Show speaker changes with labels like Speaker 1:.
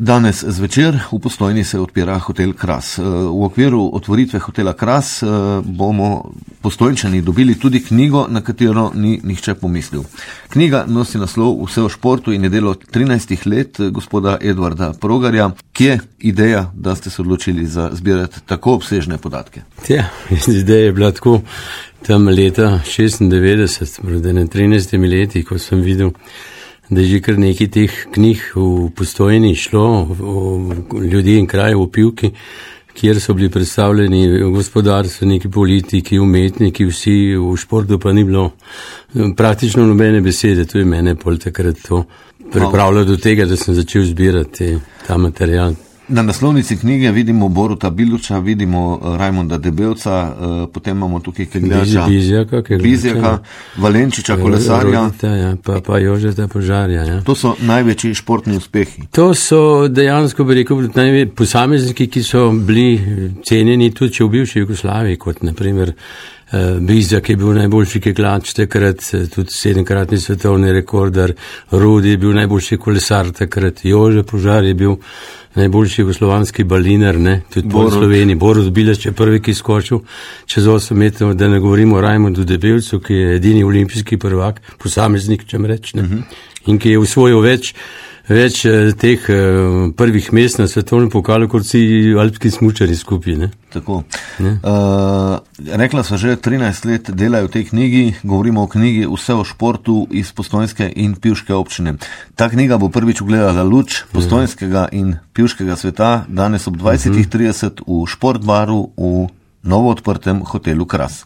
Speaker 1: Danes zvečer v Postojni se odpira hotel Kras. V okviru otvoritve hotela Kras bomo Postojnčani dobili tudi knjigo, na katero ni nihče pomislil. Knjiga nosi naslov Vse o športu in je delo 13 let gospoda Edvarda Progarja. Kje je ideja, da ste se odločili za zbirati tako obsežne podatke?
Speaker 2: Ja, ideja je bila tako tam leta 96, pred 13 leti, ko sem videl, da je že kar nekaj teh knjig v Postojni šlo o ljudi in kraju v Pivki, kjer so bili predstavljeni gospodarstveniki, politiki, umetniki, vsi, v športu pa ni bilo praktično nobene besede. To je mene pol takrat to pripravljalo do tega, da sem začel zbirati ta material.
Speaker 1: Na naslovnici knjige vidimo Boruta Biluča, vidimo Rajmonda Debelca, potem imamo tukaj Kegljača, Bizjaka, Valenčiča, kolesarja.
Speaker 2: Pa Jožeta Požarja. Ja.
Speaker 1: To so največji športni uspehi.
Speaker 2: To so dejansko, bi rekel, posamezniki, ki so bili cenjeni tudi če v bivši Jugoslaviji, kot naprimer Bizjak je bil najboljši kegljač takrat, tudi 7-kratni svetovni rekorder, Rudi je bil najboljši kolesar takrat, Jože Požar je bil najboljši jugoslovanski baliner, tudi po Sloveniji. Borut Bilač je prvi, ki skočil čez 8 metrov, da ne govorimo o Rajmondu Debelcu, ki je edini olimpijski prvak, posameznik, čem reč, in ki je usvojil več teh prvih mest na svetovnem pokalu, kot vsi alpski smučari skupaj.
Speaker 1: Tako. Rekla sva že, 13 let delajo v tej knjigi, govorimo o knjigi Vse o športu iz postojnske in pivške občine. Ta knjiga bo prvič ugledala luč postojnskega in pivškega sveta danes ob 20:30 v Športbaru v novo odprtem hotelu Kras.